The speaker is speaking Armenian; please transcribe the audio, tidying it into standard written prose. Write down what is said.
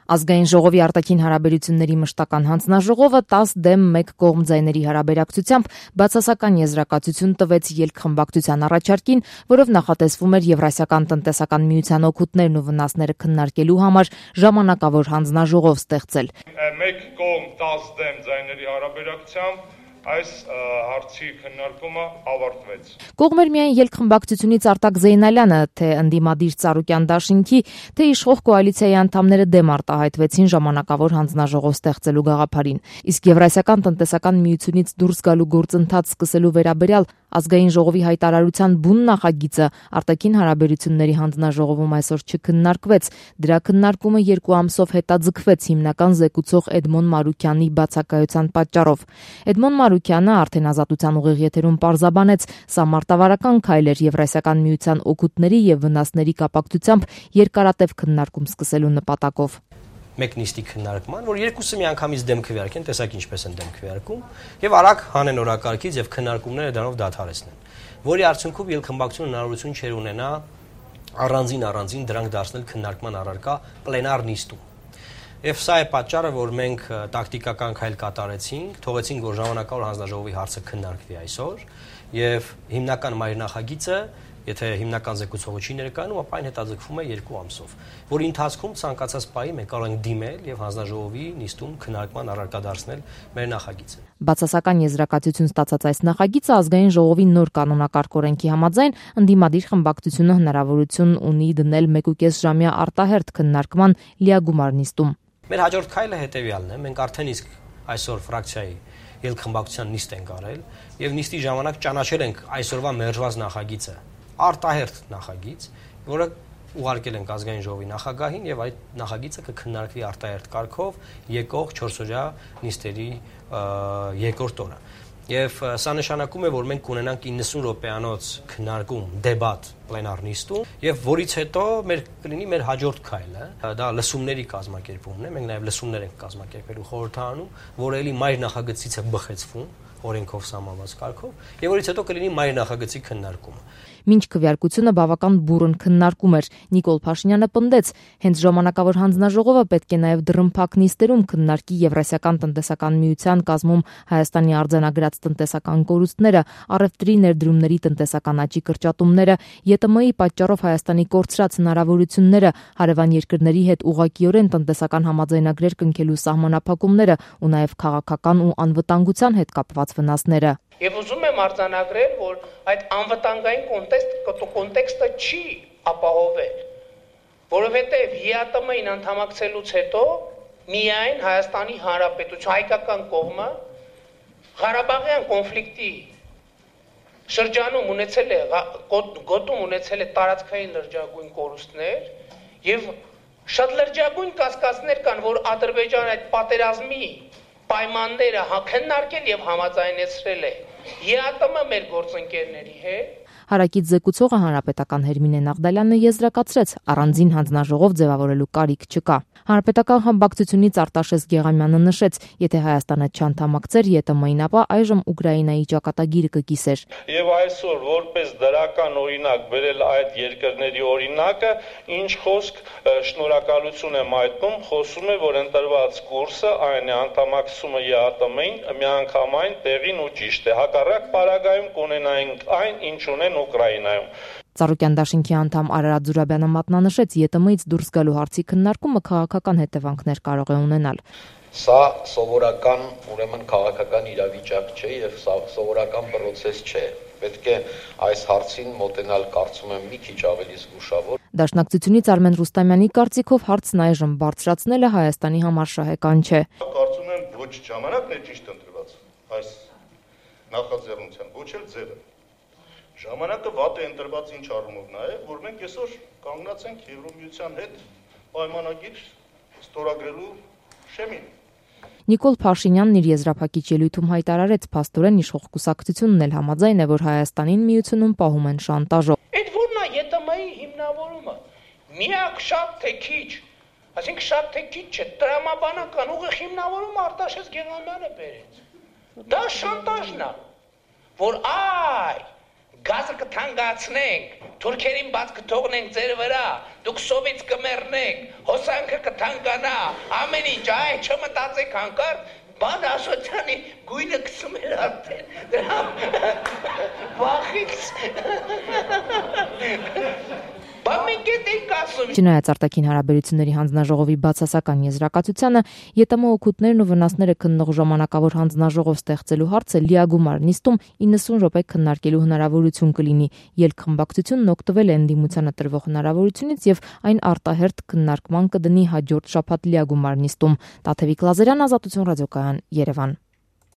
Ազգային ժողովի արտաքին հարաբերությունների մշտական հանձնաժողովը 10-1 կողմ ձայների հարաբերակցությամբ բացասական եզրակացություն տվեց ելքխմբակցության առաջարկին, որով նախատեսվում էր Եվրասիական տնտեսական միության օգուտներն ու վնասները քննարկելու համար ժամանակավոր հանձնաժողով ստեղծել։ Մեկ կողմ 10 ձայների հարաբերակցությամբ այս հարցի քննարկումը ավարտվեց։ Կողմեր միայն ելքխմբակցությունից Արտակ Զեյնալյանը, թե ընդդիմադիր Ծառուկյան դաշինքի, թե իշխող կոալիցիայի անդամները դեմ արտահայտվեցին ժամանակավոր հանձնաժողով ստեղծելու գաղափարին։ Իսկ Եվրասիական տնտեսական միությունից դուրս գալու գործընթաց սկսելու վերաբերյալ Ազգային ժողովի հայտարարության բուն նախագիծը արտաքին հարաբերությունների հանձնաժողովում այսօր չքննարկվեց։ Դրա քննարկումը 2 ամսով հետաձգվեց հիմնական զեկուցող Էդմոն Մարուկյանի բացակայության պատճառով։ Էդմոն Մարուկյանը արդեն Ազատության ուղիղ եթերում պարզաբանեց, սա մարտավարական քայլ էր Եվրասիական միության օգուտների եւ վնասների կապակցությամբ երկարատև քննարկում սկսելու նպատակով։ Մեկ նիստի քննարկման, որ երկուսը միանգամից դեմ քվեարկեն, տեսակ ինչպես են դեմ քվեարկում, եւ արագ հանեն օրակարգից եւ քննարկումները դրանով դադարեցնեն։ Որի արդյունքում ելքխմբակցությունը հնարավորություն չեր ունենա առանձին դրանք դարձնել քննարկման առարկա պլենար նիստում։ Եվ սա է պատճառը, որ մենք տակտիկական քայլ կատարեցինք, թողեցինք, որ ժամանակավոր հանձնաժողովի հարցը քննարկվի այսօր, եւ հիմնական մայրնախագիծը, եթե հիմնական զեկուցողը չի ներկայանում, ապա այն հետաձգվում է 2 ամսով, որի ընթացքում ցանկացած պահի մենք կարող ենք դիմել եւ հանձնաժողովի նիստում քննարկման առարկա դարձնել մեր նախագիծը։ Բացասական եզրակացություն ստացած այս նախագիծը Ազգային ժողովի նոր կանոնակարգ օրենքի համաձայն ընդդիմադիր խմբակցությունը հնարավորություն ունի դնել 1.5 ժամյա արտահերթ քննարկման լիագումար նիստում։ Մեր հաջորդ քայլը հետեւյալն է. մենք արդեն իսկ այսօր ֆրակցիայի ելքխմբակցության նիստ ենք արել եւ նիստի ժամանակ ճանաչել ենք այսօրվա մերժված նախագիծը, արտահերթ նախագիծ, որը ուղարկել ենք Ազգային ժողովի նախագահին եւ այդ նախագիծը կքննարկվի արտահերթ կարգով եկող 4-օրյա նիստերի երկրորդ օրը։ Եվ սա նշանակում է, որ մենք կունենանք 90 րոպեանոց քննարկում, դեբատ պլենար նիստում, եւ որից հետո կլինի մեր հաջորդ քայլը, դա լսումների կազմակերպումն է, մենք նաեւ լսումներ ենք կազմակերպելու խորհրդարանում, որը էլի մայր նախագծից է բխեցվում օրենքով սահմանված կարգով, եւ որից հետո կլինի մայր նախագծի քննարկումը։ Մինչ քվեարկությունը բավական բուռն քննարկում էր, Նիկոլ Փաշինյանը պնդեց, հենց ժամանակավոր հանձնաժողովը պետք է նաև դռնփակ նիստերում քննարկի Եվրասիական տնտեսական միության կազմում Հայաստանի արձանագրած տնտեսական կորուստները, առևտրի ներդրումների տնտեսական աճի կրճատումները, ԵՏՄ-ի պատճառով Հայաստանի կորցրած հնարավորությունները, հարևան երկրների հետ ուղղակիորեն տնտեսական համաձայնագրեր կնքելու սահմանափակումները ու նաև քաղաքական ու անվտանգության հետ կապված վնասները։ Եվ ուզում եմ արձանագրել, որ այդ անվտանգային կոնտեքստը չի ապահովել, որովհետև ԵԱՏՄ-ին անդամակցելուց հետո միայն Հայաստանի Հանրապետության հայկական կողմը Ղարաբաղյան կոնֆլիկտի շրջանում գոտում ունեցել է տարածքային լրջագույն կորուստներ եւ շատ լրջագույն կասկածներ կան, որ Ադրբեջանը այդ պատերազմի պայմանները քննարկել եւ համաձայնեցրել է ԵԱՏՄ մեր գործընկերների հետ։ Հարակից զեկուցողը հանրապետական Հերմինե Նաղդալյանը եզրակացրեց, առանձին հանձնաժողով ձևավորելու կարիք չկա։ Հանրապետական խմբակցությունից Արտաշես Գեղամյանը նշեց, եթե Հայաստանը չանդամակցեր ԵՏՄ-ին, ապա այժմ Ուկրաինայի ճակատագիրը կկիսեր։ Եվ այսօր որպես դրական օրինակ բերել այդ երկրների օրինակը, ինչ խոսք, շնորհակալություն եմ այտնում, խոսում է, որ ընտրված կուրսը այն է, անդամակցումը ԵԱՏՄ-ին միանգամայն տեղին ու ճիշտ է։ Հակառակ պարագայում կունենայինք այն, ինչ ունեն Ուկրաինայում։ Ծառուկյան դաշինքի անդամ Արարատ Զուրաբյանը մատնանշեց, ԵՏՄ-ից դուրս գալու հարցի քննարկումը քաղաքական հետևանքներ կարող է ունենալ։ Սա սովորական, ուրեմն քաղաքական իրավիճակ չէ եւ սովորական process չէ։ Պետք է այս հարցին մոտենալ, կարծում եմ, մի քիչ ավելի զգուշավոր։ Դաշնակցությունից Արմեն Ռուստամյանի կարծիքով հարցն այժմ բարձրացնելը Հայաստանի համար շահեկան չէ։ Կարծում եմ, ոչ ժամանակն է ճիշտ ընտրված այս նախաձեռնության, ոչ էլ ձևը։ Ժամանակը վատ է ընտրված ինչ առումով նաև, որ մենք այսօր կանգնած ենք Եվրոմիության հետ պայմանագիր ստորագրելու շեմին։ Նիկոլ Փաշինյանն իր եզրափակիչ ելույթում հայտարարեց, փաստորեն իշխող կուսակցությունն էլ համաձայն է, որ Հայաստանին միությունում պահում են շանտաժով։ Այդ որն է ԵՏՄ-ի հիմնավորումը։ Միակ շատ թե քիչ, այսինքն շատ թե քիչ չէ, տրամաբանական ուղիղ հիմնավորումը Արտաշես Գեղամյանը բերեց։ Դա շանտաժն է, որ գազը կթանկացնենք, թուրքերին բաց կթողնենք ձեր վրա, դուք սովից կմեռնեք, հոսանքը կթանկանա, ամեն ինչ, այ չմտածեք հանկարծ, բան ասոցյանի գույնը կսում էր արդեն, դրա վախից, բան մենք էդ ենք ասում։ Չնայած արտաքին հարաբերությունների հանձնաժողովի բացասական եզրակացությանը, ԵՏՄ օգուտներն ու վնասները քննող ժամանակավոր հանձնաժողով ստեղծելու հարցը լիագումար նիստում 90 րոպե քննարկելու հնարավորություն կլինի։ Ելքխմբակցությունն օգտվել է ընդդիմությանը տրվող հնարավորությունից եւ այն արտահերթ քննարկման կդնի հաջորդ շաբաթ լիագումար նիստում։ Տաթևիկ Լազարյան, Ազատություն ռադիոկայան, Երևան։